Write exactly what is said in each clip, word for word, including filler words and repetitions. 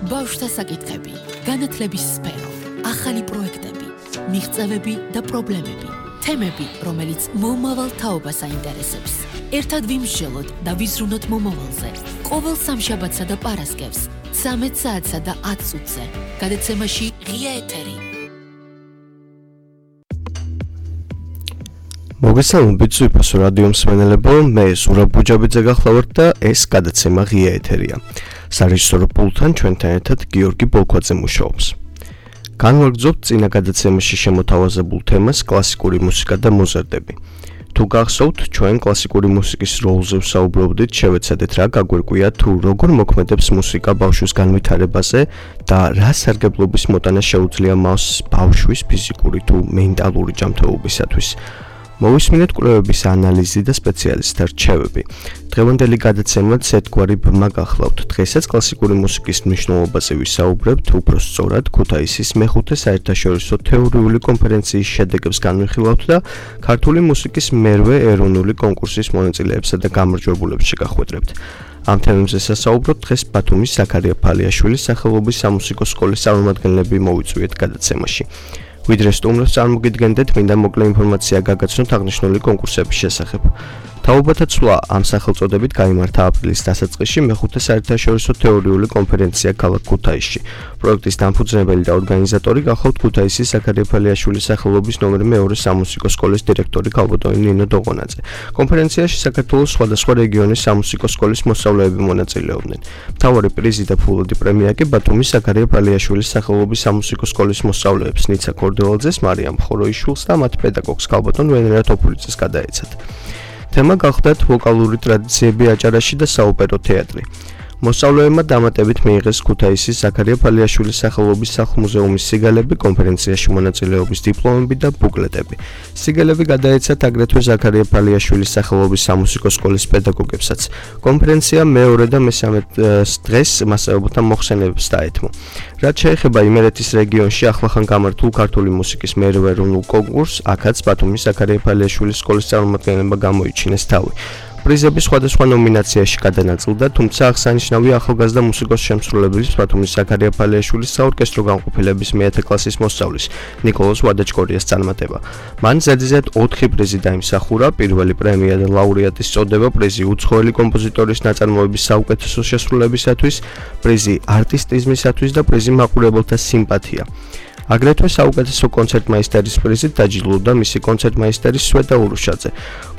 ბავშვთა საკითხები, განათლების სფერო, ახალი პროექტები, მიღწევები და პრობლემები, თემები, რომელიც მომავალ თაობას აინტერესებს. ერთად ვიმსჯელოთ და ვიზრუნოთ მომავალზე. ყოველ სამშაბათსა და პარასკევს, ცამეტ საათსა და ათ წუთზე. გადაცემაში ღია ეთერი. მოგესალმებით ზუსტ რადიო მსმენელებო, მე ზურაბ ბუჯაბიძე გახლავართ და ეს გადაცემა ღია ეთერია. სარეჟისორო პულტთან ჩვენთან ერთად გიორგი ბოლქვაძე მუშაობს. განვაგრძობთ წინა გადაცემაში შემოთავაზებულ თემას კლასიკური მუსიკა და მოზარდები. თუ გახსოვთ, ჩვენ კლასიკური მუსიკის როლზე ვსაუბრობდით, შევეცადეთ რა გაგვირკვია თუ როგორ მოქმედებს მუსიკა ბავშვის განვითარებაზე და რა სარგებლობის მოტანა შეუძლია მას ბავშვის ფიზიკური თუ მენტალური ჯანმრთელობისათვის. მოვისმინეთ კვლევების ანალიზი და სპეციალისტთა რჩევები. დღევანდელი გადაცემაც ერთგვარი ბმა გახლავთ. დღესაც კლასიკური მუსიკის მნიშვნელობაზე ვისაუბრებთ, უფრო სწორად ქუთაისის მეხუთე საერთაშორისო თეორიული კონფერენციის შედეგებს განვიხილავთ და ქართული მუსიკის მერვე ეროვნული კონკურსის მონაწილეებსა და გამარჯვებულებს შეგახვედრებთ. ამ თემებზე სასაუბროთ დღეს ბათუმის ზაქარია ფალიაშვილის სახელობის სამუსიკო სკოლის წარმომადგენლები მოვიწვიეთ გადაცემაში. ვიდრე სტუმრებს წარმოგიდგენდეთ, მინდა მოკლე ინფორმაცია გაგაცნოთ აღნიშნული კონკურსების შესახებ. თაობათა ცვლა ამ სახელწოდებით გაიმართა აპრილის დასაწყისში მეხუთე საერთაშორისო თეორიული კონფერენცია ქალაქ ქუთაისში. პროექტის დამფუძნებელი და ორგანიზატორი გახლავთ ქუთაისის ზაქარია ფალიაშვილის სახელობის ნომერ მეორე სამუსიკო სკოლის დირექტორი ქალბატონი ნინო დოღონაძე. კონფერენციაში საქართველოს სხვადასხვა რეგიონის სამუსიკო სკოლის მოსწავლეები მონაწილეობდნენ. მთავარი პრიზი და ფულადი პრემია კი ბათუმის ზაქარია ფალიაშვილის სახელობის სამუსიკო სკოლის მოსწავლეებს ნიცა კორდელაძეს, მარიამ ხოროიშვილს და მათ პედაგოგს ქალბატონ ვენერა თოფურიძეს გადაეცათ. თემა გახდათ ვოკალური ტრადიციები აჭარაში და საოპერო თეატრი. მოსწავლეებმა დამატებით მიიღეს ქუთაისის ზაქარია ფალიაშვილის სახელობის სახლ-მუზეუმის სიგელები, კონფერენციაში მონაწილეობის დიპლომები და ბუკლეტები. სიგელები გადაეცათ აგრეთვე ზაქარია ფალიაშვილის სახელობის სამუსიკო სკოლის პედაგოგებსაც. კონფერენცია მეორე და მესამე დღეს მასწავლებელთა მოხსენებებს დაეთმო. რაც შეეხება იმერეთის რეგიონში ახლახან გამართულ ქართული მუსიკის მერვე ეროვნულ კონკურსს, აქაც ბათუმის ზაქარია ფალიაშვილის სკოლის წარმომადგენლებმა გამოიჩინეს თავი. პრიზები სხვადასხვა ნომინაციაში გადანაწილდა, თუმცა აღსანიშნავია ახალგაზრდა მუსიკოს შემსრულებლის ბათუმის ზაქარია ფალიაშვილის საორკესტრო განყოფილების მეათე კლასის მოსწავლის ნიკოლოზ ვადაჭკორიას წარმატება. მან ზედიზედ ოთხი პრიზი დაიმსახურა, პირველი პრემია და ლაურეატის წოდება, პრიზი უცხოელი კომპოზიტორის ნაწარმოების საუკეთესო შესრულებისათვის, პრიზი არტისტიზმისათვის და პრიზი მაყურებელთა სიმპათია. აგრეთვე საუკეთესო კონცერტმაისტერის პრიზით დაჯილდოვდა მისი კონცერტმაისტერი სვეტა ურუშაძე.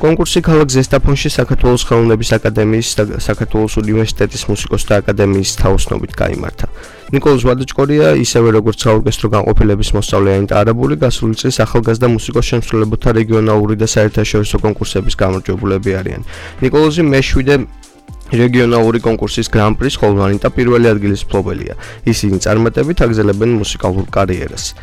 კონკურსი ქალაქ ზესტაფონში საქართველოს ხელოვნების აკადემიის და საქართველოს უნივერსიტეტის მუსიკოსთა აკადემიის თაოსნობით გაიმართა. ნიკოლოზ ვადაჭკორია, ისევე როგორც საორკესტრო განყოფილების მოსწავლე ანიტა არაბული, გასული წლის ახალგაზრდა მუსიკოს შემსრულებელთა რეგიონალური და საერთაშორისო კონკურსების გამარჯვებულები არიან. ნიკოლოზი მეშვიდე რეგიონალური კონკურსის გრან-პრის, ხოლო ანიტა პირველი ადგილის მფლობელია. ისინი წარმატებით აგრძელებენ მუსიკალურ კარიერას.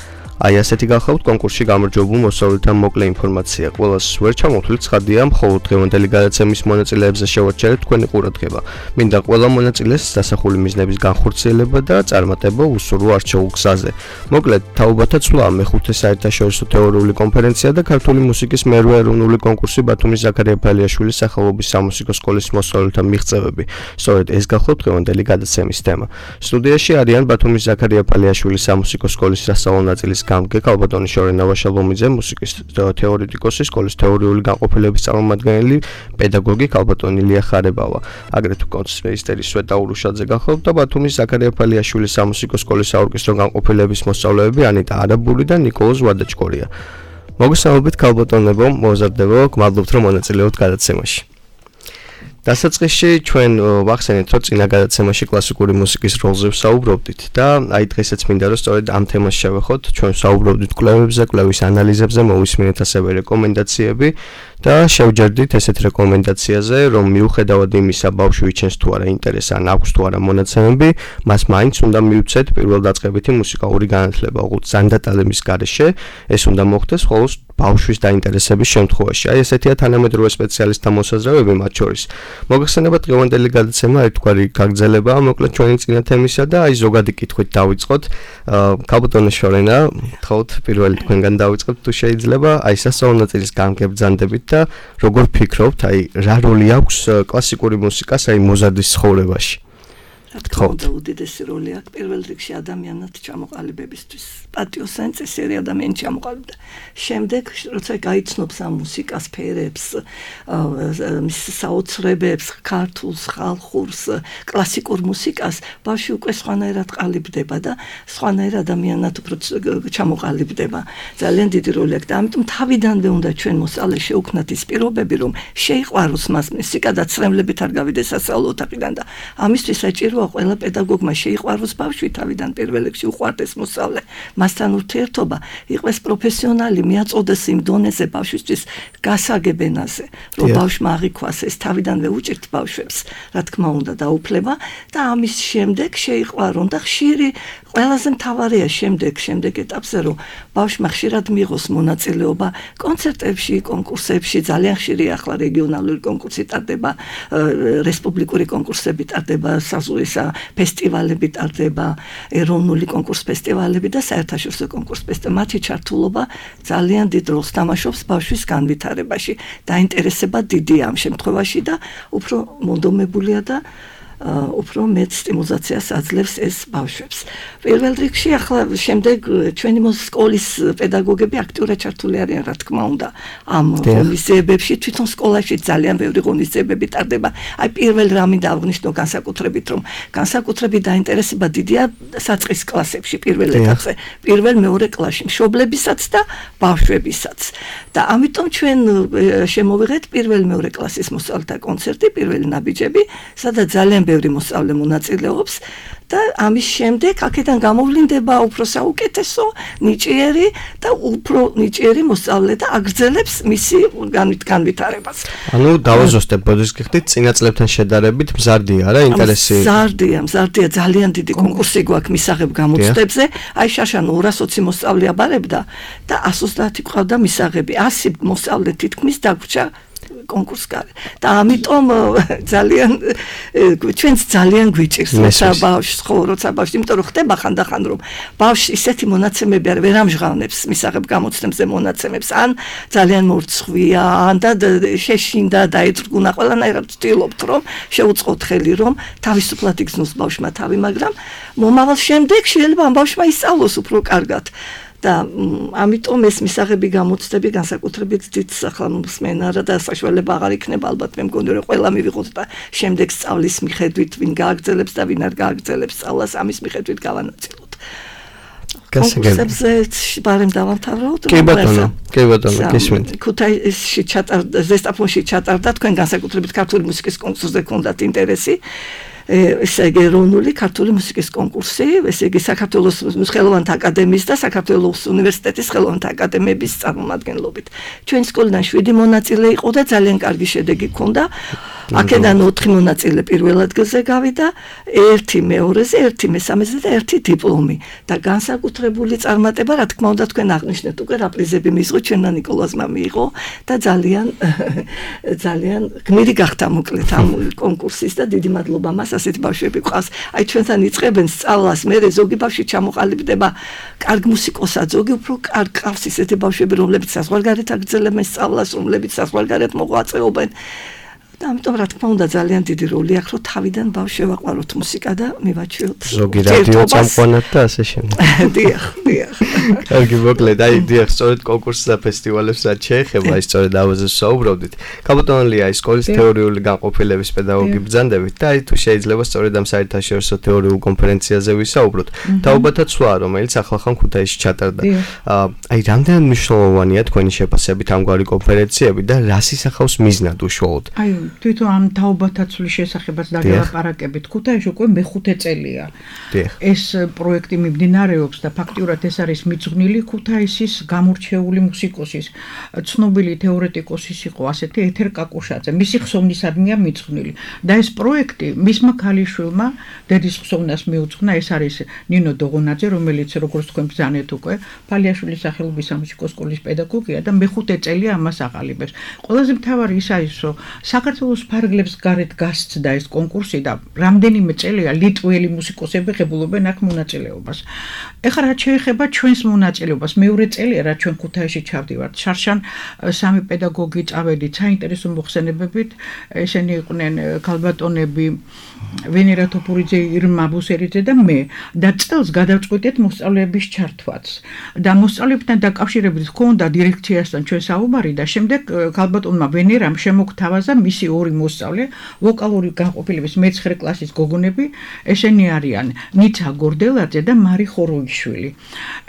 აი ასეთი გახლავთ კონკურსში გამარჯვებულ მოსწავლეთა მოკლე ინფორმაცია. ყველას ვერ ჩამოთვლით ცხადია, მხოლოდ დღევანდელი გადაცემის მონაწილეებზე შევაჩერეთ თქვენი ყურადღება. მინდა ყველა მონაწილეს დასახული მიზნების განხორციელება და წარმატება უსურვო არჩეულ გზაზე. მოკლედ, თაობათა ცვლა მეხუთე საერთაშორისო თეორიული კონფერენცია და ქართული მუსიკის მერვე ეროვნული კონკურსი ბათუმის ზაქარია ფალიაშვილის სახელობის სამუსიკო სკოლის მოსწავლეთა მიღწევები. სწორედ ეს გახლავთ დღევანდელი გადაცემის თემა. სტუდიაში არიან ბათუმის ზაქარია ფალიაშვილის სამუსიკო სკოლის სასწავლო ნაწილის გამგე ქალბატონი შორენა ვაშალომიძე, მუსიკის თეორეტიკოსი, სკოლის თეორიული განყოფილების წარმომადგენელი, პედაგოგი ქალბატონი ლია ხარებავა. აგრეთვე კონცერტმეისტერი სვეტა ურუშაძე გახლავთ და ბათუმის ზაქარია ფალიაშვილის სამუსიკო სკოლის საორკესტრო განყოფილების მოსწავლეები ანიტა არაბული და ნიკოლოზ ვადაჭკორია. მოგესალმებით ქალბატონებო, მოზარდებო, გმადლობთ რომ მონაწილეობთ გადაცემაში. დასაწყისში ჩვენ ვახსენეთ, რომ წინა გადაცემაში კლასიკური მუსიკის როლზე ვსაუბრობდით და აი დღესაც მინდა რომ სწორედ ამ თემას შევეხოთ. ჩვენ ვსაუბრობდით კვლევებზე, კვლევის ანალიზებზე, მოვისმინეთ ასევე რეკომენდაციები და შევჯერდით ესეთ რეკომენდაციაზე, რომ მიუხედავად იმისა, ბავშვი იჩენს თუ არა ინტერესს ან აქვს თუ არა მონაცემები, მას მაინც უნდა მიუცეთ პირველდაწყებითი მუსიკალური განათლება, ოღონდ ზანდატალების გარეშე ეს უნდა მოხდეს მხოლოდ ბავშვის დაინტერესების შემთხვევაში. აი ესეთია თანამედროვე სპეციალისტთა მოსაზრებები მათ შორის. მოგეხსენებათ დღევანდელი გადაცემა ერთგვარი გაგრძელებაა მოკლედ ჩვენი წინა თემისა და აი ზოგადი კითხვით დავიწყოთ. ქალბატონი შორენა, თხოვთ პირველი თქვენგან დავიწყოთ თუ შეიძლება, აი სასწავლო ნაწილის გამგებრძანდებით და როგორ ფიქრობთ, აი რა როლი აქვს კლასიკური მუსიკას აი მოზარდის ცხოვრებაში? რა თქმა უნდა უდიდესი როლი აქვს პირველ რიგში ადამიანად ჩამოყალიბებისთვის. პატიოსანი წესიერი ადამიანი ჩამოყალიბდა. შემდეგ როცა გაიცნობს ამ მუსიკას ფერებს, მის საოცრებებს, ქართულს, ხალხურს, კლასიკურ მუსიკას, ბავშვი უკვე სხვანაირად ყალიბდება და სხვანაირ ადამიანად უფრო ჩამოყალიბდება. ძალიან დიდი როლი აქვს და ამიტომ თავიდანვე უნდა ჩვენ მოსწავლეს შევქმნათ ის პირობები, რომ შეიყვაროს მას მუსიკა და ცრემლებით არ გავიდეს სასწავლო ოთახიდან და ამისთვის საჭიროა ყველა პედაგოგმა შეიყვაროს ბავშვი თავიდან პირველ რიგში უყვარდეს მოსწავლე. მასთან ურთიერთობა იყოს პროფესიონალი, მიაწოდეს იმ დონეზე ბავშვისთვის გასაგებ ენაზე, რომ ბავშვმა აღიქვას ეს თავიდანვე უჭირთ ბავშვებს, რა თქმა უნდა დაუფლება და ამის შემდეგ შეიყვარონ და ხშირი ყველაზე მთავარია შემდეგ შემდეგ ეტაპზე რომ ბავშვმა ხშირად მიიღოს მონაწილეობა კონცერტებში, კონკურსებში, ძალიან ხშირი ახლა რეგიონალური კონკურსი ტარდება, რესპუბლიკური კონკურსები ტარდება, საზღვისა ფესტივალები ტარდება, ეროვნული კონკურს ფესტივალები და საერთაშორისო კონკურს ფესტივალები. მათი ჩართულობა ძალიან დიდ როლს თამაშობს ბავშვის განვითარებაში. დაინტერესება დიდია ამ შემთხვევაში და უფრო მონდომებულია და უფრო მეტ სტიმულაციას აძლევს ეს ბავშვებს. პირველ რიგში ახლა შემდეგ ჩვენი სკოლის პედაგოგები აქტიურად ჩართული არიან, რა თქმა უნდა, ამ ღონისძიებებში, თვითონ სკოლაში ძალიან ბევრი ღონისძიებები ტარდება. აი პირველ რამი დავღნიშნო განსაკუთრებით, რომ განსაკუთრებით დაინტერესება დიდია საწყის კლასებში, პირველ ეტაპზე, პირველ მეორე კლასში, მშობლებისაც და ბავშვებისაც. და ამიტომ ჩვენ შემოვიღეთ პირველ მეორე კლასის მოსწავლეთა კონცერტი, პირველი ნაბიჯები, სადაც ძალიან ბევრი მოსწავლე მონაწილეობს და ამის შემდეგ აქედან გამოვლინდება უფრო საუკეთესო, ნიჭიერი და უფრო ნიჭიერი მოსწავლე და აგრძელებს მისი განვითარებას. ანუ დავაზუსტებ, ბოდიშ გიხდით, წინა წლებთან შედარებით მზარდია რა, ინტერესი. მზარდია, მზარდია, ძალიან დიდი კონკურსი გვაქვს მისაღებ გამოცდებზე. აი შაშან ორას ოცი მოსწავლე აბარებდა და ასი ოცდაათი ყავდა მისაღები. ასი მოსწავლე თითქმის დაგვრჩა კონკურსკარი და ამიტომ ძალიან ჩვენც ძალიან გვიჭირს როცა ბავშვს ხო როცა ბავშვი იმიტომ რომ ხდება ხანდახან რომ ბავშვი ისეთი მონაცემები არ ვერ ამჟღავნებს მისაღებ გამოცდებზე მონაცემებს ან ძალიან მორცხვია ან და შეშინდა დაეწრგუნა ყველანაირად ვთილობთ რომ შეუწყოთ ხელი რომ თავისუფლად იგზნოს ბავშვმა თავი მაგრამ მომავალ შემდეგ შეიძლება ამ ბავშვმა ისწავლოს უფრო კარგად და ამიტომ ეს მისაღები გამოცდები განსაკუთრებით დიდ სახელმწიფოა და საშუალება აღარ იქნება ალბათ მე მგონი რომ ყველა მივიღოთ და შემდეგ სწავლის მიხედვით ვინ გააგრძელებს და ვინ არ გააგრძელებს სწავლას ამის მიხედვით გავანაწილოთ. კონკურსებზე ბარემ დავამთავროთ. კი ბატონო, კი ბატონო, გისმენთ. ქუთაისში ჩატარდა, ზესტაფონში ჩატარდა თქვენ განსაკუთრებით ქართული მუსიკის კონკურსზე გქონდათ ინტერესი. ესე იგი ეროვნული ქართული მუსიკის კონკურსი, ესე იგი საქართველოს ხელოვანთა აკადემიის და საქართველოს უნივერსიტეტის ხელოვანთა აკადემიების წარმომადგენლობით. ჩვენი სკოლიდან შვიდი მონაწილე იყო და ძალიან კარგი შედეგი ჰქონდა. აქედან ოთხი მონაწილე პირველ ადგილზე გავიდა, ერთი მეორეზე, ერთი მესამეზე და ერთი დიპლომი. და განსაკუთრებული წარმატება, რა თქმა უნდა, თქვენ აღნიშნეთ უკვე რა პრიზები მიიღო, ჩვენმა ნიკოლოზმა მიიღო და ძალიან ძალიან გმირი გახდა მოკლედ ამ კონკურსის და დიდი მადლობა მას ასეთ ბავშვები ყავს. აი ჩვენთან იწყებენ სწავლას, მე ზოგი ბავშვი ჩამოყალიბდება კარგ მუსიკოსად, ზოგი უფრო კარგ ყავს ისეთი ბავშვები, რომლებიც საზღვარგარეთ აგრძელებენ სწავლას, რომლებიც საზღვარგარეთ მოღვაწეობენ. და ამიტომ რა თქმა უნდა ძალიან დიდი როლი აქვს, რომ თავიდან ბავშვს შევაყვაროთ მუსიკა და მივაჩვიოთ. ზოგი რადიო წამყვანად და ასე შემდეგ. დიახ, დიახ. კარგი მოკლედ, აი დიახ, სწორედ კონკურსს და ფესტივალებს რაც შეეხება, აი სწორედ ამაზე საუბრობდით. კაპიტონალია ის სკოლის თეორიული განყოფილების პედაგოგი ბრძანდებით და აი თუ შეიძლება სწორედ ამ საერთაშორისო თეორიულ კონფერენციაზე ვისაუბროთ. თაობათა ცვლა, რომელიც ახლახან ქუთაისში ჩატარდა. აი რამდენად მნიშვნელოვანია თქვენი შეფასებით ამგვარი კონფერენციები და რას ისახავს მიზნად უშუალოდ? აი თვითონ ამ თაობათა ცვლის შესახებაც დაგელაპარაკებით. ქუთაისში უკვე მეხუთე წელია. ეს პროექტი მიმდინარეობს და ფაქტიურად ეს არის მიძღვნილი ქუთაისის გამორჩეული მუსიკოსის, ცნობილი თეორეტიკოსის იყო ასეთი ეთერ კაკუშაძე. მისი ხსოვნისადმია მიძღვნილი. და ეს პროექტი მისმა ქალიშვილმა დედის ხსოვნას მიუძღვნა, ეს არის ნინო დოღონაძე, რომელიც როგორც თქვენ ბრძანეთ უკვე, ფალიაშვილის სახელობის სამუსიკო სკოლის პედაგოგია და მეხუთე წელია ამას აყალიბებს. ყველაზე მთავარი ის არის, რომ საქართველოს ფარგლებს გარეთ გასცდა ეს კონკურსი და რამდენიმე წელია ლიტველი მუსიკოსები ღებულობენ აქ მონაწილეობას. ეხლა რაც შეეხება ჩვენს მონაწილეობას, მეორე წელია რაც ჩვენ ქუთაისში ჩავდივართ. შარშან სამი პედაგოგი წავედით საინტერესო მოხსენებებით, ესენი იყვნენ ქალბატონები ვენერა თოფურიძე, ირმა ბუსერიძე და მე და წელს გადავწყვიტეთ მოსწავლეების ჩართვაც. და მოსწავლეებთან დაკავშირებით ჰქონდა დირექციასთან ჩვენ საუბარი და შემდეგ ქალბატონმა ვენერამ შემოგთავაზა მისი ორი მოსწავლე, ვოკალური განყოფილების მეცხრე კლასის გოგონები, ესენი არიან ნიცა გორდელაძე და მარი ხოროიშვილი.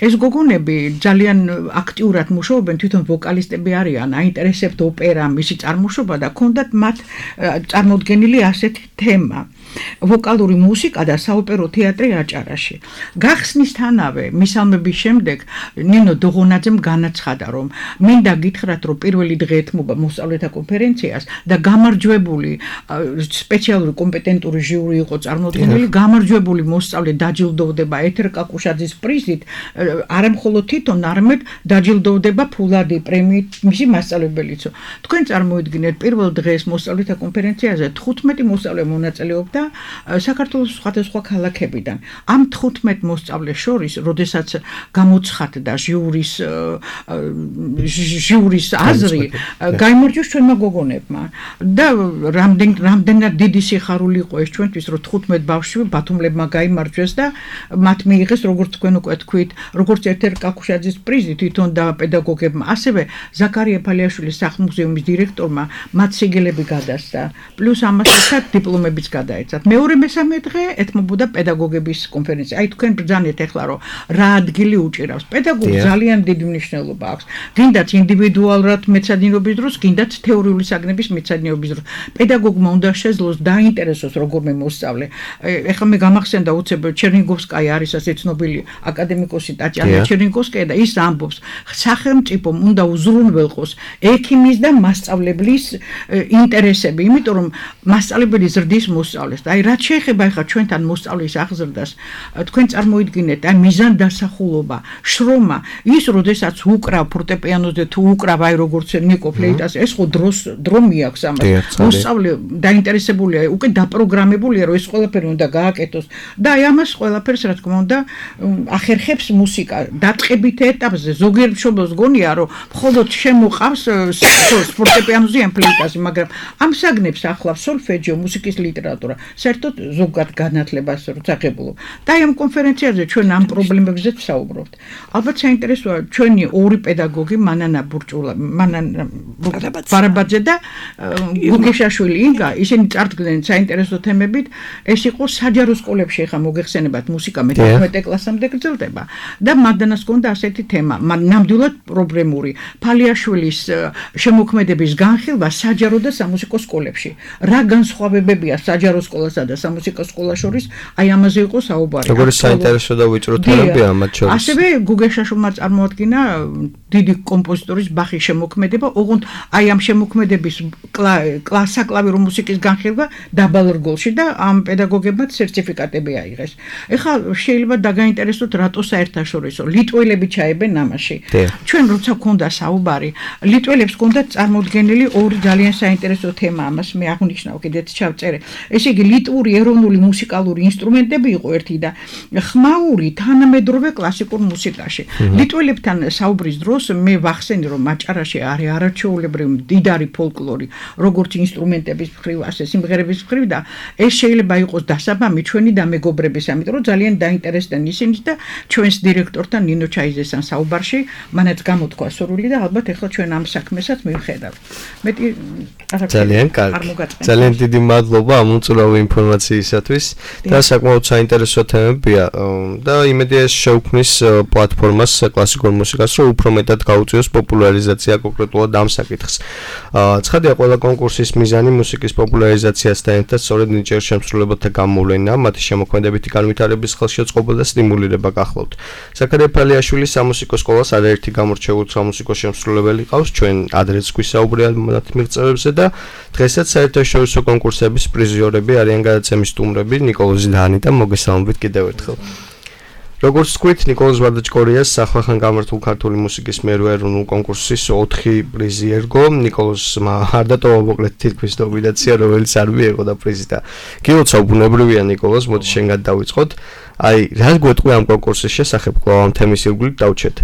ეს გოგონები ძალიან აქტიურად მუშაობენ, თვითონ ვოკალისტები არიან, აინტერესებთ ოპერა, მისი წარმოშობა და ჰქონდათ მათ წარმოდგენილი ასეთი თემა. ვოკალური მუსიკა და საოპერო თეატრი აჭარაში. გახსნისთანავე მისალმების შემდეგ ნინო დოღონაძემ განაცხადა, რომ მინდა გითხრათ, რომ პირველი დღე ეთმობა მოსწავლეთა კონფერენციას და გამარჯვებული სპეციალური კომპეტენტური ჟიური იყო წარმოდგენილი, გამარჯვებული მოსწავლე დაჯილდოვდება ეთერ კაკუშაძის პრიზით, არა მხოლოდ თვითონ, არამედ დაჯილდოვდება ფულადი პრემიით მისი მასწავლებელიცო. თქვენ წარმოიდგინეთ, პირველ დღეს მოსწავლეთა კონფერენციაზე თხუთმეტი მოსწავლე მონაწილეობდა საქართველოს სხვადასხვა ქალაქებიდან. ამ თხუთმეტ მოსწავლეს შორის, როდესაც გამოცხადდა ჟიურის ჟიურის აზრი, გაიმარჯვეს ჩვენმა გოგონებმა და რამდენ რამდენად დიდი სიხარული იყო ეს ჩვენთვის, რომ თხუთმეტ ბავშვი ბათუმლებმა გაიმარჯვეს და მათ მიიღეს, როგორც თქვენ უკვე თქვით, როგორც ეთერ კაკუშაძის პრიზი თვითონ და პედაგოგებმა, ასევე ზაქარია ფალიაშვილის სახლ-მუზეუმის დირექტორმა მათ სიგელები გადასცა, პლუს ამას ერთად დიპლომებიც გადაეცა. მეორე მესამე დღე ეთმობოდა პედაგოგების კონფერენცია. აი თქვენ ბრძანეთ ახლა, რომ რა ადგილი უჭირავს. პედაგოგს ძალიან დიდი მნიშვნელობა აქვს. გინდათ ინდივიდუალურად მეცადინეობის დროს, გინდათ თეორიული საგნების მეცადინეობის დროს. პედაგოგმა უნდა შეძლოს დაინტერესოს როგორმე მოსწავლე. ეხლა მე გამახსენდა უცებ ჩერნიგოვსკაია არის ასე ცნობილი აკადემიკოსი ტატიანა ჩერნიგოვსკაია და ის ამბობს, სახელმწიფომ უნდა უზრუნველყოს ექიმის და მასწავლებლის ინტერესები, იმიტომ რომ მასწავლებელი ზრდის მოსწავლეს. აი რაც შეეხება ახლა ჩვენთან მოსწავლის აღზრდას, თქვენ წარმოიდგინეთ, აი მიზანდასახულობა, შრომა, ის როდესაც უკრავ ფორტეპიანოზე თუ უკრავ აი როგორც ნიკო ფლეიტას, ეს ხო დროს დრო მიაქვს ამას. მოსწავლე დაინტერესებულია, უკვე დაპროგრამებულია, რომ ეს ყველაფერი უნდა გააკეთოს და აი ამას ყველაფერს რა თქმა უნდა ახერხებს მუსიკა. დაწყებით ეტაპზე ზოგიერთ მშობელს გონია, რომ მხოლოდ შემოყავს ფორტეპიანოზე ან ფლეიტაზე, მაგრამ ამ საგნებს ახლავს სოლფეჯიო, მუსიკის ლიტერატურა. საერთოდ ზოგად განათლებას როცა ღებულობ. და ამ კონფერენციაზე ჩვენ ამ პრობლემებზე ვსაუბრობთ. ალბათ საინტერესოა ჩვენი ორი პედაგოგი, მანანა ბურჭულა, მანანა ბარაბაძე და გუგეშაშვილი ინგა, ისინი წარდგნენ საინტერესო თემებით. ეს იყო საჯარო სკოლებში ახლა მოგეხსენებათ მუსიკა მეთერთმეტე კლასამდე გრძელდება და მადანას ჰქონდა ასეთი თემა, ნამდვილად პრობლემური. ფალიაშვილის შემოქმედების განხილვა საჯარო და სამუსიკო სკოლებში. რა განსხვავებებია საჯარო სკოლასა და სამუსიკო სკოლას შორის, აი ამაზე იყო საუბარი. როგორი საინტერესო და ვიწრო თემებია ამათ შორის. ასევე გუგეშაშვილმა წარმოადგინა დიდი კომპოზიტორის ბახის შემოქმედება, ოღონდ აი ამ შემოქმედების საკლავირო მუსიკის განხილვა დაბალ რგოლში და ამ პედაგოგებმა სერტიფიკატები აიღეს. ეხლა შეიძლება დაგაინტერესოთ რატო საერთაშორისო ლიტველები ჩაებენ ამაში. ჩვენ როცა გქონდა საუბარი, ლიტველებს ჰქონდათ წარმოდგენილი ორი ძალიან საინტერესო თემა, ამას მე აღნიშნავ კიდეც ჩავწერე. ესე იგი ლიტვური ეროვნული მუსიკალური ინსტრუმენტები იყო ერთი და ხმაური თანამედროვე კლასიკურ მუსიკაში. ლიტველებთან საუბრის დროს მე ვახსენე, რომ აჭარაში არის არაჩვეულებრივი მდიდარი ფოლკლორი, როგორც ინსტრუმენტების მხრივ, ასე სიმღერების მხრივ და ეს შეიძლება იყოს დასაბამი ჩვენი დამეგობრების, ამიტომ რომ ძალიან დაინტერესდნენ ისინი და ჩვენს დირექტორთან ნინო ჩაიზესთან საუბარში მანაც გამოთქვა სურვილი და ალბათ ახლა ჩვენ ამ საქმესაც მივხედავთ. მეტი ძალიან კარგი. ძალიან დიდი მადლობა ამ უწურავი ინფორმაციისათვის და საკმაოდ საინტერესო თემებია და იმედია ეს შეუქმნის პლატფორმას კლასიკურ მუსიკას, რომ უფრო მეტად გაუწიოს პოპულარიზაცია კონკრეტულად ამ საკითხს. ცხადია, ყველა კონკურსის მიზანი მუსიკის პოპულარიზაციასთან ერთად სწორედ ნიჭიერ შემსრულებელთა გამოვლენა, მათი შემოქმედებითი განვითარების ხელშეწყობა და სტიმულირება გახლავთ. ზაქარია ფალიაშვილის სამუსიკო სკოლას არაერთი გამორჩეული სამუსიკო შემსრულებელი ყავს, ჩვენ ადრეც გვისაუბრია მათ მიღწევებზე და დღესაც საერთაშორისო კონკურსების პრიზიორები არიან გადაცემის სტუმრები ნიკოლოზი დანი და მოგესალმებით კიდევ ერთხელ. როგორც თქვით, ნიკოლოზ ვარდაჭკორიას ახლახან გამართულ ქართული მუსიკის მერვე ეროვნულ კონკურსის ოთხი პრიზი ერგო. ნიკოლოზმა არ დატოვა მოკლედ თითქმის ნომინაცია, რომელიც არ მიიღო და პრიზი და გილოცა ბუნებრივია ნიკოლოზ, მოდი შენგან დავიწყოთ. აი, რა გვეტყვი ამ კონკურსის შესახებ, კვლავ ამ თემის ირგვლივ დავჩეთ.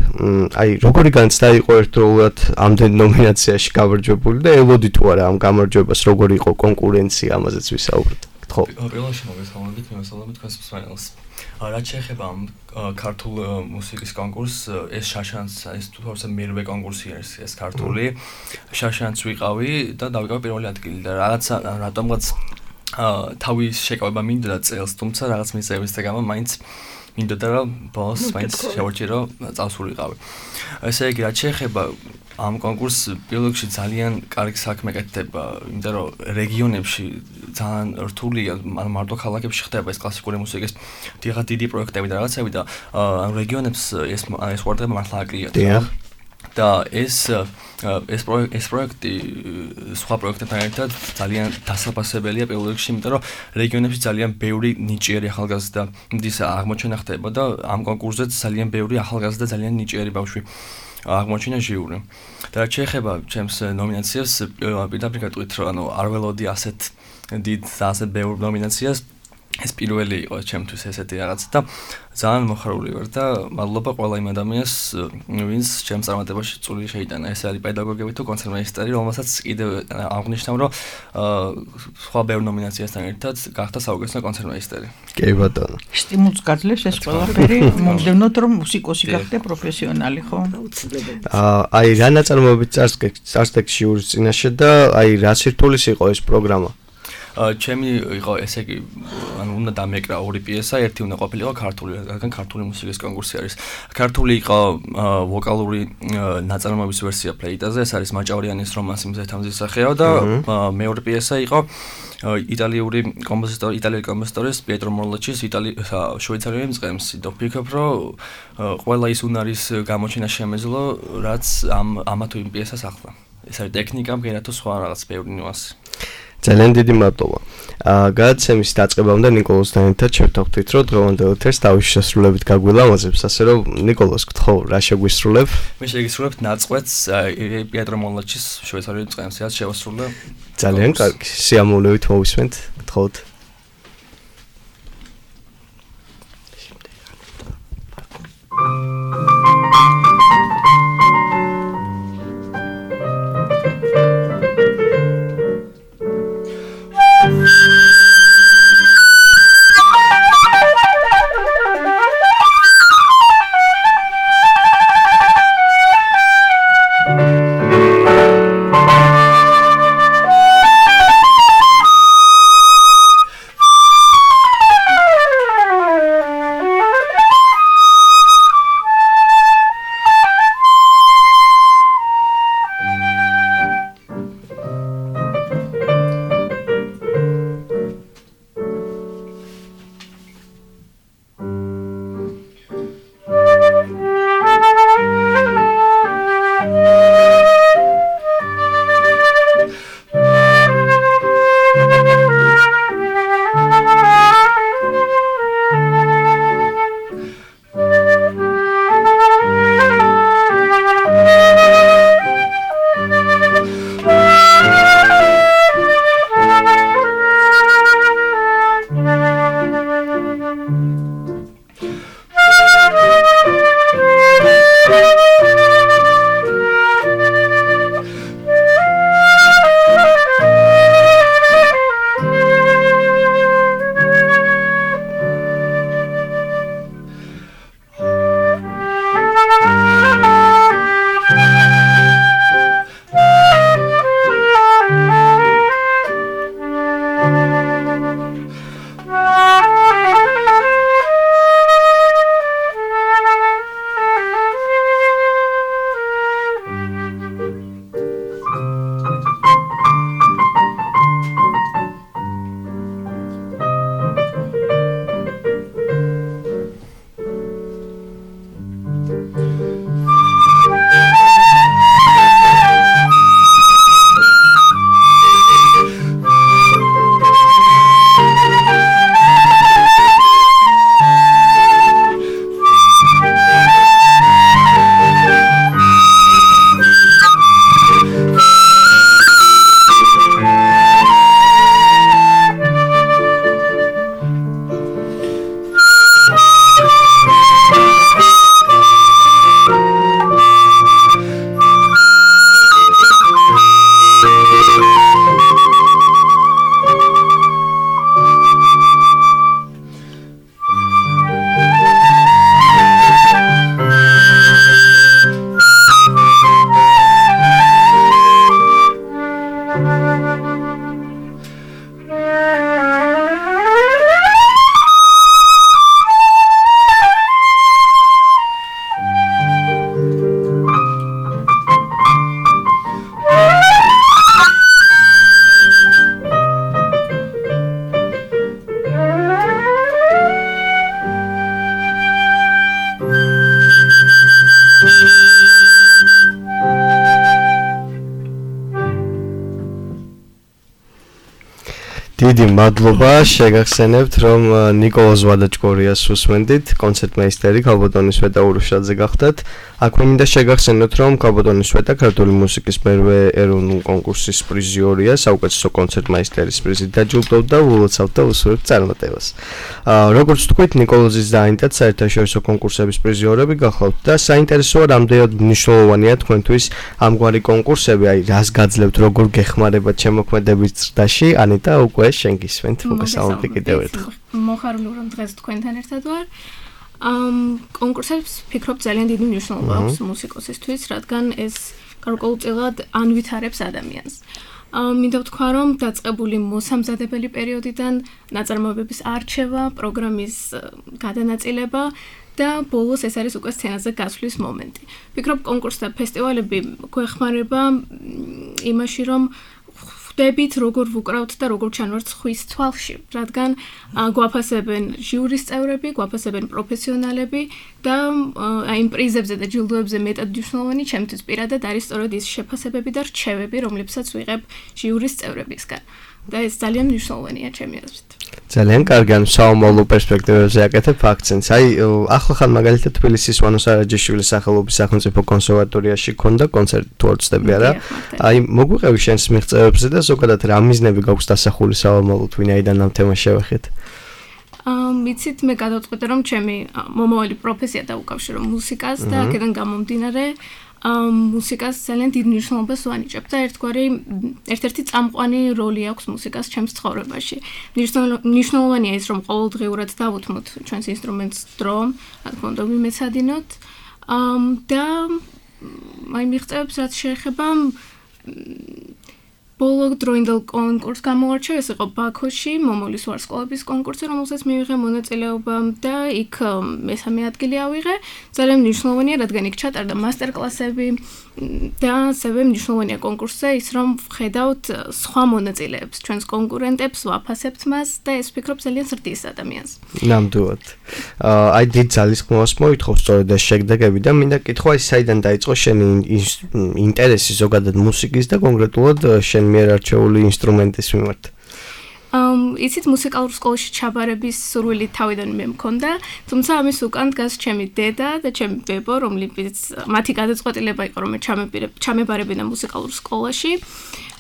აი, როგორი განცდა იყო ერთდროულად ამდენ ნომინაციაში გამარჯვებული და ელოდი თუ არა ამ გამარჯვებას, როგორი იყო კონკურენცია, ამაზეც ვისაუბრეთ. გთხოვ. პირველში მოგესალმებით, მოგესალმებით თქვენს მსმენელს. რაც შეეხება ამ ქართულ მუსიკის კონკურსს, ეს შაშანს, ეს თორსა მერვე კონკურსი არის ეს ქართული. შაშანს ვიყავი და დავიკავე პირველი ადგილი და რაღაცა რატომღაც თავის შეკავება მინდოდა წელს, თუმცა რაღაც მიზეზების გამო მაინც მინდოდა რომ ბოლოს მაინც შევარჩირო წავს ვიყავი. ესე იგი, რაც შეეხება ამ კონკურსს, პირველ რიგში ძალიან კარგი საქმე კეთდება, იმიტომ რომ რეგიონებში ძალიან რთულია, ანუ მარტო ქალაქებში ხდება ეს კლასიკური მუსიკის დიღა დიდი პროექტები და რაღაცები და ამ რეგიონებს ეს ეს ვარდება მართლა აკლიათ. და ეს ეს პროექტი ეს პროექტი სხვა პროექტებთან ერთად ძალიან დასაფასებელია პირველ რიგში, იმიტომ რომ რეგიონებში ძალიან ბევრი ნიჭიერი ახალგაზრდა მდის აღმოჩენა ხდება და ამ კონკურსზეც ძალიან ბევრი ახალგაზრდა და ძალიან ნიჭიერი ბავშვი აღმოჩინა ჟიური. და რაც შეეხება ჩემს ნომინაციას, პირდაპირ გეტყვით, რომ ანუ არ ველოდი ასეთ დიდ ასეთ ბევრ ნომინაციას. ეს პირველი იყო ჩემთვის ესეთი რაღაც და ძალიან მოხარული ვარ და მადლობა ყველა იმ ადამიანს, ვინც ჩემს წარმატებაში წვლილი შეიტანა. ეს არის პედაგოგები თუ კონცერტმეისტერი, რომელსაც კიდევ აღნიშნავ, რომ სხვა ბევრ ნომინაციასთან ერთად გახდა საუკეთესო კონცერტმეისტერი. კი ბატონო. სტიმულს გაძლევს ეს ყველაფერი, მომდევნოთ რომ მუსიკოსი გახდე პროფესიონალი, ხო? აი, რა ნაწარმოებით წარსდგეთ ჟიურის წინაშე და აი, რა სირთულეს იყო ეს პროგრამა? ჩემი იყო ესე იგი, ანუ უნდა დამეკრა ორი პიესა, ერთი უნდა ყოფილიყო ქართული, რადგან ქართული მუსიკის კონკურსი არის. ქართული იყო ვოკალური ნაწარმოების ვერსია ფლეიტაზე, ეს არის მაჭავრიანის რომანსი მზეთამზის სახეო და მეორე პიესა იყო იტალიური კომპოზიტორი, იტალიელი კომპოზიტორის პიეტრო მორლაჩის იტალი შვეიცარიული მწყემსი. და ვფიქრობ, რომ ყველა ის უნარის გამოჩენა შემეძლო, რაც ამ ამა თუ იმ პიესას ახლა. ეს არის ტექნიკა, მგერა თუ სხვა რაღაც ბევრი ნიუანსი. ძალიან დიდი მადლობა. აა გადაცემის დაწყებამდე ნიკოლოზთან ერთად შევთანხმდით, რომ დღევანდელ ეთერს თავისი შესრულებით გაგვილამაზებს, ასე რომ ნიკოლოზ, გთხოვ, რა შეგვისრულებ? მე შეგისრულებთ ნაწყვეტს პიეტრო მორლაჩის შვეიცარიული მწყემსი, რაც შევასრულე. ძალიან კარგი. სიამოვნებით მოვისმენთ, გთხოვთ. დიდი მადლობა, შეგახსენებთ, რომ ნიკოლოზ ვადაჭკორიას უსმენდით, კონცერტმეისტერი ქალბატონი სვეტა ურუშაძე გახდათ. აქვე მინდა შეგახსენოთ, რომ ქალბატონი სვეტა ქართული მუსიკის მერვე ეროვნულ კონკურსის პრიზიორია, საუკეთესო კონცერტმეისტერის პრიზით დაჯილდოვდა და ულოცავთ და უსურვებთ წარმატებას. როგორც თქვით, ნიკოლოზის დაინტერესდა საერთაშორისო კონკურსების პრიზიორები გახლავთ და საინტერესოა, რამდენად მნიშვნელოვანია თქვენთვის ამგვარი კონკურსები, აი რას გაძლევთ, როგორ გეხმარებათ შემოქმედების ზრდაში, ანიტა უკვე შენ გისვენთ, მოგესალმებით კიდევ ერთხელ. მოხარული რომ დღეს თქვენთან ერთად ვარ. ამ კონკურსებს ფიქრობ ძალიან დიდი მნიშვნელობა აქვს მუსიკოსისთვის, რადგან ეს გარკვეულწილად ანვითარებს ადამიანს. მინდა ვთქვა, რომ დაწყებული მოსამზადებელი პერიოდიდან ნაწარმოებების არჩევა, პროგრამის გადანაწილება და ბოლოს ეს არის უკვე სცენაზე გასვლის მომენტი. ფიქრობ, კონკურსი და ფესტივალები გვეხმარება იმაში, რომ ხვდებით, როგორ ვუკრავთ და როგორ ჩანვართ ხვის თვალში, რადგან გვაფასებენ ჟიურის წევრები, გვაფასებენ პროფესიონალები და აი იმ პრიზებზე და ჯილდოებზე მეტად მნიშვნელოვანი ჩემთვის პირადად არის სწორედ ის შეფასებები და რჩევები, რომლებსაც ვიღებ ჟიურის წევრებისგან. და ეს ძალიან მნიშვნელოვანია ჩემი აზრით. ძალიან კარგი, ანუ საომავლო პერსპექტივებზე აკეთებ აქცენტს. აი, ახლახან მაგალითად თბილისის ვანო სარაჯიშვილის სახელობის სახელმწიფო კონსერვატორიაში ქონდა კონცერტი, თუ არ ვცდები არა. აი, მოგვიყევი შენს მიღწევებზე და ზოგადად რა მიზნები გაქვს დასახული საომავლოდ, ვინაიდან ამ თემას შევეხეთ? აა, მიცით, მე გადავწყვეტე, რომ ჩემი მომავალი პროფესია დაუკავშირო მუსიკას და აქედან გამომდინარე მუსიკას ძალიან დიდ მნიშვნელობას ვანიჭებ და ერთგვარი ერთ-ერთი წამყვანი როლი აქვს მუსიკას ჩემს ცხოვრებაში. მნიშვნელოვანია ის, რომ ყოველდღიურად დავუთმოთ ჩვენს ინსტრუმენტს დრო, რა თქმა უნდა, ვიმეცადინოთ. და აი მიღწევებს რაც შეეხება ბოლო დროინდელ კონკურსს გამოვარჩევ, ეს იყო ბაქოში, მომავლის ვარსკვლავების კონკურსი, რომელსაც მივიღე მონაწილეობა და იქ მესამე ადგილი ავიღე. ძალიან მნიშვნელოვანია, რადგან იქ ჩატარდა მასტერკლასები და ასევე მნიშვნელოვანია კონკურსზე ის, რომ ვხედავთ სხვა მონაწილეებს, ჩვენს კონკურენტებს, ვაფასებთ მას და ეს ვფიქრობ ძალიან ზრდის ადამიანს. ნამდვილად. აი დიდ ძალისხმევას მოითხოვ სწორედ ეს შედეგები და მინდა კითხვა, ის საიდან დაიწყო შენი ინტერესი ზოგადად მუსიკის და კონკრეტულად შენ მიერ არჩეული ინსტრუმენტის მიმართ? Um, იცით მუსიკალურ სკოლაში ჩაბარების სურვილი თავიდან მე მქონდა, თუმცა ამის უკან დგას ჩემი დედა და ჩემი ბებო, რომლებიც მათი გადაწყვეტილება იყო, რომ მე ჩამებარებინა მუსიკალურ სკოლაში.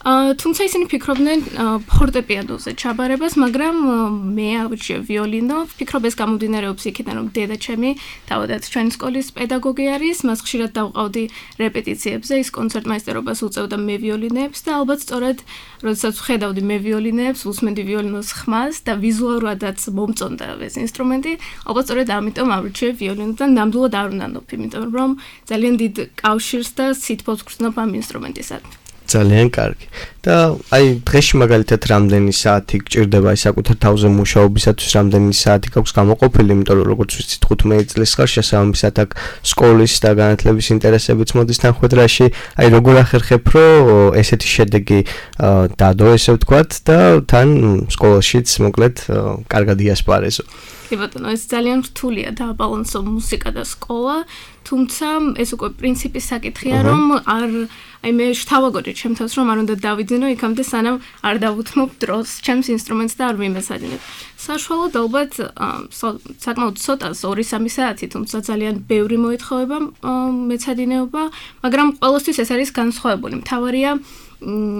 Uh, თუმცა ისინი ფიქრობდნენ uh, ფორტეპიანოზე ჩაბარებას, მაგრამ uh, მე ავირჩიე ვიოლინო. ფიქრობ ეს გამომდინარეობს იქიდან, რომ დედა ჩემი თავადაც ჩვენი სკოლის პედაგოგი არის, მას ხშირად დავყავდი რეპეტიციებზე, ის კონცერტმაისტერობას უწევდა მე ვიოლინეებს და ალბათ სწორედ როდესაც ვხედავდი მე ვიოლინეებს, უსმენდი ვიოლინოს ხმას და ვიზუალურადაც მომწონდა ეს ინსტრუმენტი, ალბათ სწორედ ამიტომ ავირჩიე ვიოლინო და ნამდვილად არ უნდანობ, იმიტომ რომ ძალიან დიდ კავშირს და სითბოს გრძნობ ამ ინსტრუმენტისადმი. ძალიან კარგი. და აი დღეში მაგალითად რამდენი საათი გჭირდება აი საკუთარ თავზე მუშაობისათვის, რამდენი საათი გაქვს გამოყოფილი, იმიტომ რომ როგორც ვიცით ხუთმეტი წლის ხარ შესაბამისად აქ სკოლის და განათლების ინტერესებიც მოდის თანხმედრაში. აი როგორ ახერხებ, რომ ესეთი შედეგი დადო, ესე ვთქვათ და თან სკოლაშიც მოკლედ კარგად იასპარეზო. კი ბატონო, ეს ძალიან რთულია დააბალანსო მუსიკა და სკოლა, თუმცა ეს უკვე პრინციპის საკითხია, რომ არ აი მე შთავაგოდი ჩემ თავს, რომ არ უნდა დავიძინო იქამდე, სანამ არ დავუთმობ დროს ჩემს ინსტრუმენტს და არ ვიმესადინებ. საშუალოდ ალბათ საკმაოდ ცოტას ორი-სამი საათი, თუმცა ძალიან ბევრი მოეთხოვება მეცადინეობა, მაგრამ ყველასთვის ეს არის განსხვავებული. მთავარია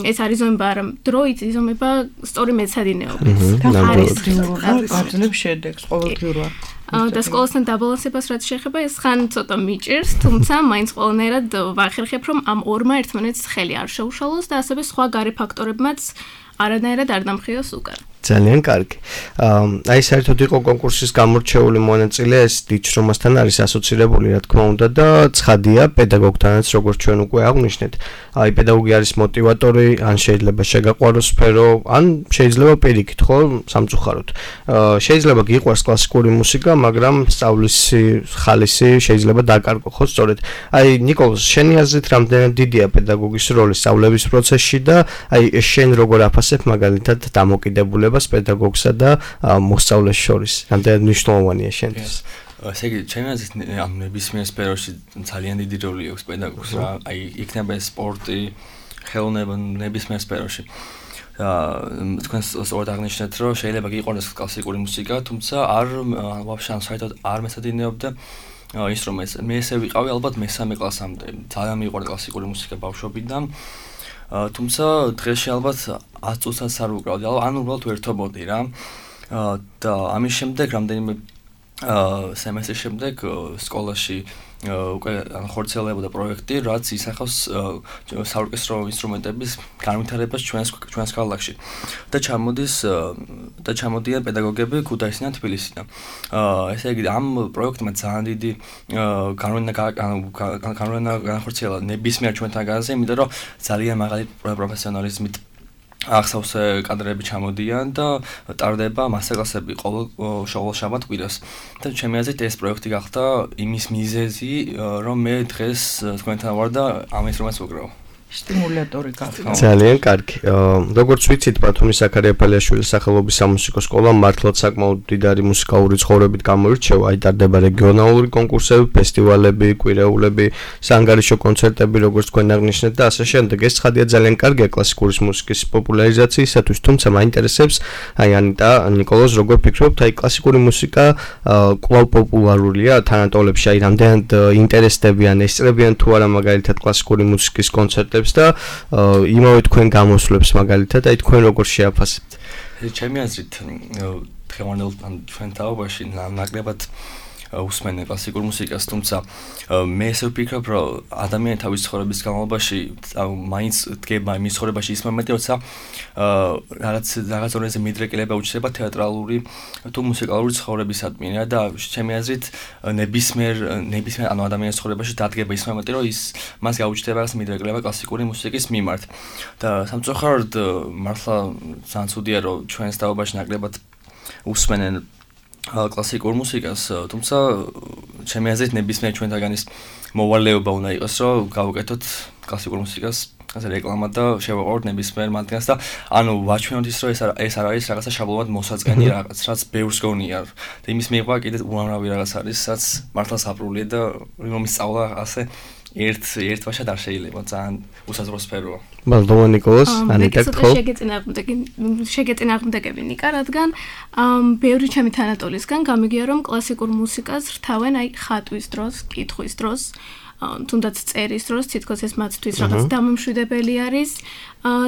ეს არ იზომება არა დროით, იზომება სწორი მეცადინეობით. გაძლევ შედეგს ყოველდღიურად. და სკოლასთან დაბალანსებას რაც შეეხება, ეს ხან ცოტა მიჭირს, თუმცა მაინც ყველანაირად ვახერხებ, რომ ამ ორმა ერთმანეთს ხელი არ შეუშალოს და ასევე სხვა გარე ფაქტორებმაც არანაირად არ დამხიოს უკან. ძალიან კარგი. აი საერთოდ იყო კონკურსის გამორჩეული მონაწილე, ეს დიჩრომასთან არის ასოცირებული, რა თქმა უნდა და ცხადია პედაგოგთანაც, როგორც ჩვენ უკვე აღვნიშნეთ. აი პედაგოგი არის მოტივატორი, ან შეიძლება შეგაყვაროს სფერო, ან შეიძლება პირიქით, ხო, სამწუხაროდ. შეიძლება გიყვარს კლასიკური მუსიკა, მაგრამ სწავლის ხალისი შეიძლება დაკარგო, ხო, სწორედ. აი ნიკოლოზ, შენი აზრით რამდენად დიდია პედაგოგის როლი სწავლების პროცესში და აი შენ როგორ აფასებ მაგალითად დამოკიდებულებას პედაგოგსა და მოსწავლეს შორის, რამდენად მნიშვნელოვანია შენთვის? ესე იგი, ჩემი აზრით ამ ნებისმიერ სფეროში ძალიან დიდი როლი აქვს პედაგოგს, რა, აი იქნება სპორტი, ხელოვნება ნებისმიერ სფეროში. თქვენ სწორად აღნიშნეთ, რომ შეიძლება გიყონოს კლასიკური მუსიკა, თუმცა არ ვაფშე ან საერთოდ არ მეცადინეობდა ინსტრუმენტს. მე ესე ვიყავი ალბათ მესამე კლასამდე. ძალიან მიყვარდა კლასიკური მუსიკა ბავშვობიდან. თუმცა დღეში ალბათ ათი წუთსაც არ ვუკრავდი, ანუ უბრალოდ ვერთობოდი რა. და ამის შემდეგ რამდენიმე სემესტრის შემდეგ სკოლაში უკვე ხორციელებოდა პროექტი, რაც ისახავს საორკესტრო ინსტრუმენტების განვითარებას ჩვენს ჩვენს ქალაქში. და ჩამოდის და ჩამოდიან პედაგოგები ქუთაისიდან, თბილისიდან. ესე იგი, ამ პროექტმა ძალიან დიდი განვითარება განვითარება განხორციელა ნებისმიერ ჩვენთაგანზე, იმიტომ რომ ძალიან მაღალი პროფესიონალიზმით ახსავსე კადრები ჩამოდიან და ტარდება მასტერ-კლასები ყოველ ყოველ შაბათ-კვირას. და ჩემი აზრით ეს პროექტი გახდა იმის მიზეზი, რომ მე დღეს თქვენთან ვარ და ამ ინსტრუმენტს ვუკრავ. სტიმულატორი გახდა. ძალიან კარგი. როგორც ვიცით, ბათუმის ზაქარია ფალიაშვილის სახელობის სამუსიკო სკოლა მართლაც საკმაოდ მდიდარი მუსიკალური ცხოვრებით გამოირჩევა. აი ტარდება რეგიონალური კონკურსები, ფესტივალები, კვირეულები, საანგარიშო კონცერტები, როგორც თქვენ აღნიშნეთ და ასე შემდეგ. ეს ცხადია ძალიან კარგია კლასიკური მუსიკის პოპულარიზაციისათვის, თუმცა მაინტერესებს აი ანიტა, ნიკოლოზ, როგორ ფიქრობთ, აი კლასიკური მუსიკა კვლავ პოპულარულია თანატოლებში, აი რამდენად ინტერესდებიან, ესწრებიან თუ არა მაგალითად კლასიკური მუსიკის კონცერტები და იმავე თქვენ გამოსვლებს მაგალითად, აი თქვენ როგორ შეაფასებთ? ჩემი აზრით, დღევანდელ ჩვენ თაობაში ნაკლებად უსმენენ კლასიკურ მუსიკას, თუმცა მე ესე ვფიქრობ, რომ ადამიანი თავის ცხოვრების განმავლობაში მაინც დგება იმის ცხოვრებაში ის მომენტი, როცა რაღაც რაღაც ორენზე მიდრეკილება უჩნდება თეატრალური თუ მუსიკალური ცხოვრებისადმი და ჩემი აზრით ნებისმიერ ნებისმიერ ანუ ადამიანის ცხოვრებაში დადგება ის მომენტი, რომ ის მას გაუჩნდება რაღაც მიდრეკილება კლასიკური მუსიკის მიმართ. და სამწუხაროდ მართლა ძალიან ცუდია, რომ ჩვენს თაობაში ნაკლებად უსმენენ კლასიკურ მუსიკას, თუმცა ჩემი აზრით ნებისმიერ ჩვენთაგანის მოვალეობა უნდა იყოს, რომ გავუკეთოთ კლასიკურ მუსიკას ასე რეკლამა და შევაყოვოთ ნებისმიერ მათგანს და ანუ ვაჩვენოთ ის, რომ ეს ეს არ არის რაღაცა შაბლონად მოსაწყენი რაღაც, რაც ბევრს გონია. და იმის მიღება კიდევ უამრავი რაღაც არის, რაც მართლა საპრულია და რომის სწავლა ასე ერთ ერთ ვაშად არ შეიძლება, ძალიან უსაზრო სფეროა. მადლობა ნიკოლოზ, ანიტა ხო. შეგეწინააღმდეგე შეგეწინააღმდეგები ნიკა, რადგან ბევრი ჩემი თანატოლისგან გამიგია, რომ კლასიკურ მუსიკას რთავენ აი ხატვის დროს, კითხვის დროს, თუნდაც წერის დროს, თითქოს ეს მათთვის რაღაც დამამშვიდებელი არის.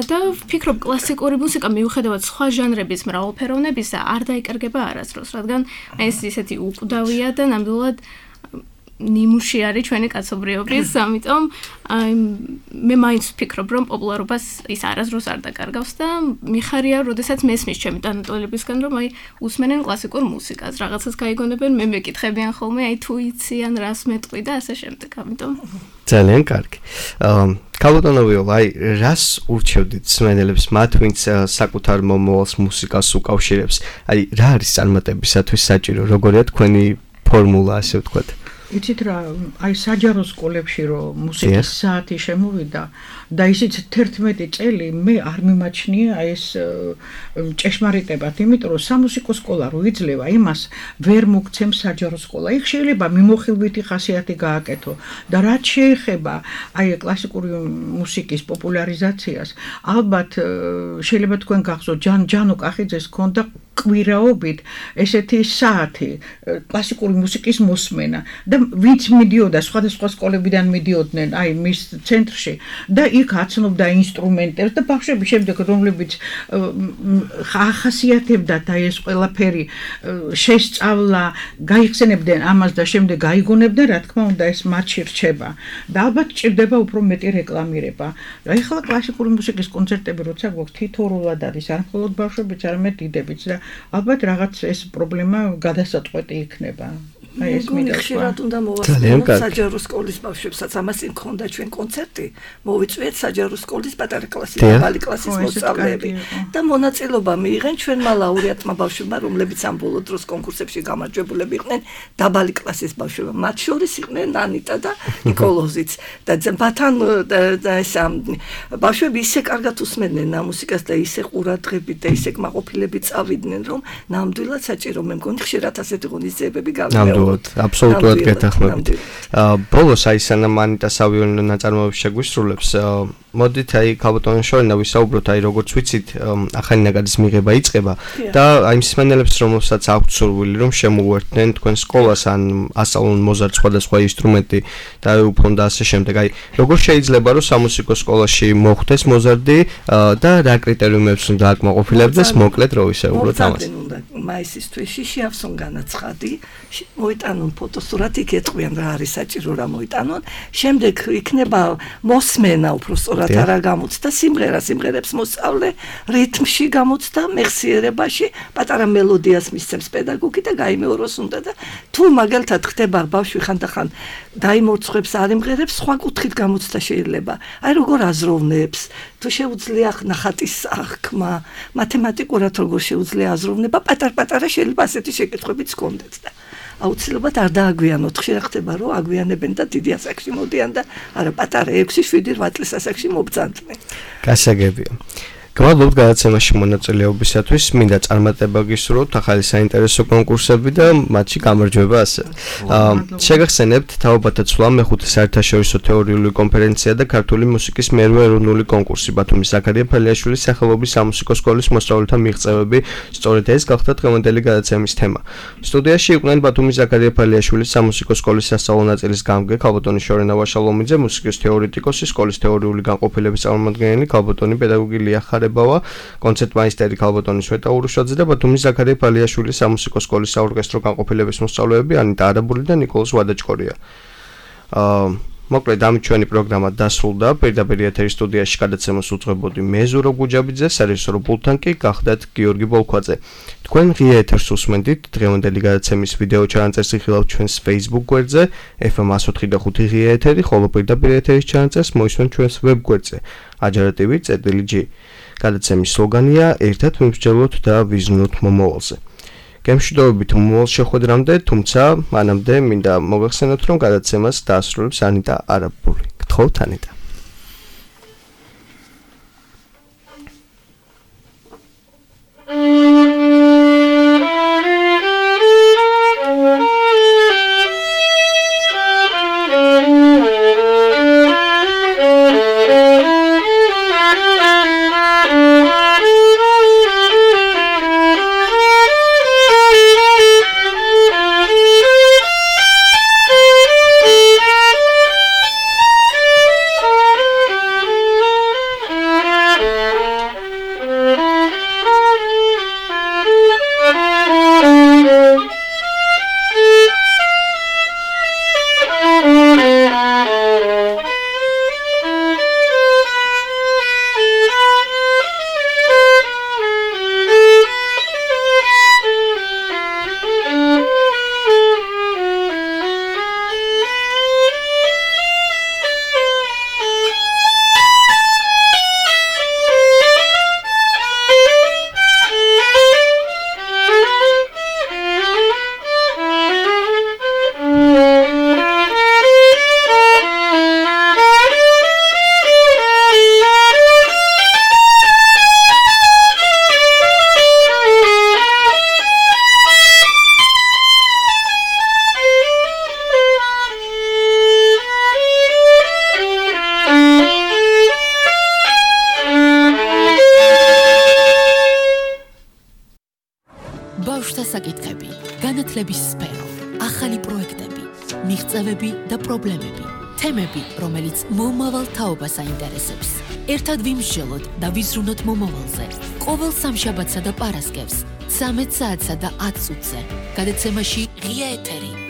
და ვფიქრობ, კლასიკური მუსიკა მიუხედავად სხვა ჟანრების მრავალფეროვნებისა არ დაიკარგება არასდროს, რადგან ეს ისეთი უკვდავია და ნამდვილად ნიმუში არის ჩვენი კაცობრიობის, ამიტომ მე მაინც ვფიქრობ, რომ პოპულარობას ის არასდროს არ დაკარგავს და მიხარია, როდესაც მესმის ჩემი თანატოლებისგან, რომ აი უსმენენ კლასიკურ მუსიკას, რაღაცას გაიგონებენ, მე მეკითხებიან ხოლმე, აი თუ იციან, რას მეტყვი და ასე შემდეგ, ამიტომ ძალიან კარგი. კალბატონობიო, აი რას ურჩევდით მსმენელებს, მათ ვინც საკუთარ მომავალს მუსიკას უკავშირებს? აი რა არის წარმატებისათვის საჭირო? როგორია თქვენი ფორმულა, ასე ვთქვათ? იცით რა, აი საჯარო სკოლებში რომ მუსიკის საათი შემოვიდა და ისიც თერთმეტი წელი მე არ მიმაჩნია ეს ჭეშმარიტებად, იმიტომ რომ სამუსიკო სკოლა რო იძლევა იმას ვერ მოგცემს საჯარო სკოლა. იქ შეიძლება მიმოხილვითი ხასიათი გააკეთო და რაც შეეხება აი კლასიკური მუსიკის პოპულარიზაციას, ალბათ შეიძლება თქვენ გახსოვთ ჯანო კახიძეს ჰქონდა კვირაობით ესეთი საათი კლასიკური მუსიკის მოსმენა და ვინც მიდიოდა სხვადასხვა სკოლებიდან მიდიოდნენ აი მის ცენტრში და იქ აცნობდა ინსტრუმენტებს და ბავშვები შემდეგ რომლებიც ახასიათებდათ აი ეს ყველაფერი შესწავლა, გაიხსენებდნენ ამას და შემდეგ გაიგონებდნენ, რა თქმა უნდა ეს მათში რჩება და ალბათ ჭირდება უფრო მეტი რეკლამირება. რა ეხლა კლასიკური მუსიკის კონცერტები როცა გვაქვს თითოეულად არის არ მხოლოდ ბავშვებიც, არამედ დიდებიც და ალბათ რაღაც ეს პრობლემა გადასაწყვეტი იქნება. აი ეს ხშირად უნდა მოვასწროთ საჯარო სკოლის ბავშვებსაც, ამას იმ ქონდა ჩვენ კონცერტი, მოვიწვიეთ საჯარო სკოლის პატარა კლასის, მაღალი კლასის მოსწავლეები და მონაწილეობა მიიღენ ჩვენმა ლაურეატმა ბავშვებმა, რომლებიც ამ ბოლო დროს კონკურსებში გამარჯვებულები იყვნენ, დაბალი კლასის ბავშვებმა, მათ შორის იყვნენ ანიტა და ნიკოლოზიც და ბათან და ეს ბავშვები ისე კარგად უსმენდნენ ამ მუსიკას და ისე ყურადღებით და ისე კმაყოფილებით წავიდნენ, რომ ნამდვილად საჭირო მე მგონი ხშირად ასეთი ღონისძიებები გავიდა. აბსოლუტურად, აბსოლუტურად გეთანხმებით. ბოლოს აი სანამ ანიტა სავიონო ნაწარმოებს შეგვისრულებს, მოდით აი ქალბატონი შორენა ვისაუბროთ, აი როგორც ვიცით, ახალი ნაკადის მიღება იწყება და აი მსმენელებს რომელსაც აქვთ სურვილი რომ შემოუერთდნენ თქვენ სკოლას ან ასწავლონ მოზარდ სხვადასხვა ინსტრუმენტი და უფლონ და ასე შემდეგ. აი როგორ შეიძლება რომ სამუსიკო სკოლაში მოხვდეს მოზარდი და რა კრიტერიუმებს უნდა აკმაყოფილებდეს მოკლედ რო ვისაუბროთ ამას. მაისის თვეში შეავსონ განაცხადი, მოიტანონ ფოტოსურათი, გეტყვიან რა არის საჭირო რა მოიტანონ. შემდეგ იქნება მოსმენა უფრო სწორად არა გამოცდა სიმღერა, სიმღერებს მოსწავლე, რითმში გამოცდა, მეხსიერებაში, პატარა მელოდიას მისცემს პედაგოგი და გაიმეოროს უნდა და თუ მაგალითად ხდება ბავშვი ხანდახან დაიმორცხებს, არ იმღერებს, სხვა კუთხით გამოცდა შეიძლება. აი როგორ აზროვნებს, თუ შეუძლია ნახატის აღქმა, მათემატიკურად როგორ შეუძლია აზროვნება, პატარ-პატარა შეიძლება ასეთი შეკითხვებიც ჰქონდეთ და აუცილებლად არ დააგვიანოთ. ხშირად ხდება რომ აგვიანებენ და დიდი ასაკში მოდიან და არა პატარა ექვსი შვიდი ოთხ წლის ასაკში მობძანდნენ. გასაგებია. გვალობთ გადაცემაში მონაწილეობისათვის, მინდა წარმატება გისურვოთ ახალი საინტერესო კონკურსები და მათში გამარჯვება ასე. შეგახსენებთ თაობათა ცვლა მეხუთე საერთაშორისო თეორიული კონფერენცია და ქართული მუსიკის მერვე ეროვნული კონკურსი ბათუმის ზაქარია ფალიაშვილის სახელობის სამუსიკო სკოლის მოსწავლეთა მიღწევები. სწორედ ეს გახდა დღევანდელი გადაცემის თემა. სტუდიაში იყვნენ ბათუმის ზაქარია ფალიაშვილის სამუსიკო სკოლის სასწავლო ნაწილის გამგე ქალბატონი შორენა ვაშალომიძე, მუსიკის თეორეტიკოსი, სკოლის თეორიული განყოფილების წარმომადგენელი ქალბატონი პედაგოგი ლია ხარებავა, კონცერტმაისტერი ქალბატონი სვეტა ურუშაძე და ბათუმის ზაქარია ფალიაშვილის სამუსიკო სკოლის საორკესტრო განყოფილების მოსწავლეები ანიტა არაბული და ნიკოლოზ ვადაჭკორია. აა მოკლედ ამ ჩვენი პროგრამა დასრულდა. პირდაპირ ეთერის სტუდიაში გადაცემას უძღვებოდი მე ზურო გუჯაბიძე, სარეჟისორო პულტთან კი გახდათ გიორგი ბოლქვაძე. თქვენ ღია ეთერს უსმენდით. დღევანდელი გადაცემის ვიდეო ჩანაწერს იხილავთ ჩვენს Facebook გვერდზე ეფ ემ εκατო ოთხი და ხუთი ღია ეთერი, ხოლო პირდაპირ ეთერის ჩანაწერს მოისმენთ ჩვენს ვებ გვერდზე აჯარა ტი ვი წერტილი ჯი. გადაცემის სლოგანია ერთად ვიმსჯელოთ და ვიზრუნოთ მომავალზე. გემშვიდობებით მომავალ შეხვედრამდე, თუმცა მანამდე მინდა მოგახსენოთ, რომ გადაცემას დაასრულებს ანიტა არაბული. გთხოვთ ანიტა. საკითხები, განათლების სფერო, ახალი პროექტები, მიღწევები და პრობლემები, თემები, რომელიც მომავალ თაობას აინტერესებს. ერთად ვიმსჯელოთ და ვიზრუნოთ მომავალზე. ყოველ სამშაბათსა და პარასკევს, ცამეტ საათსა და ათ წუთზე. გადაცემაში ღია ეთერი.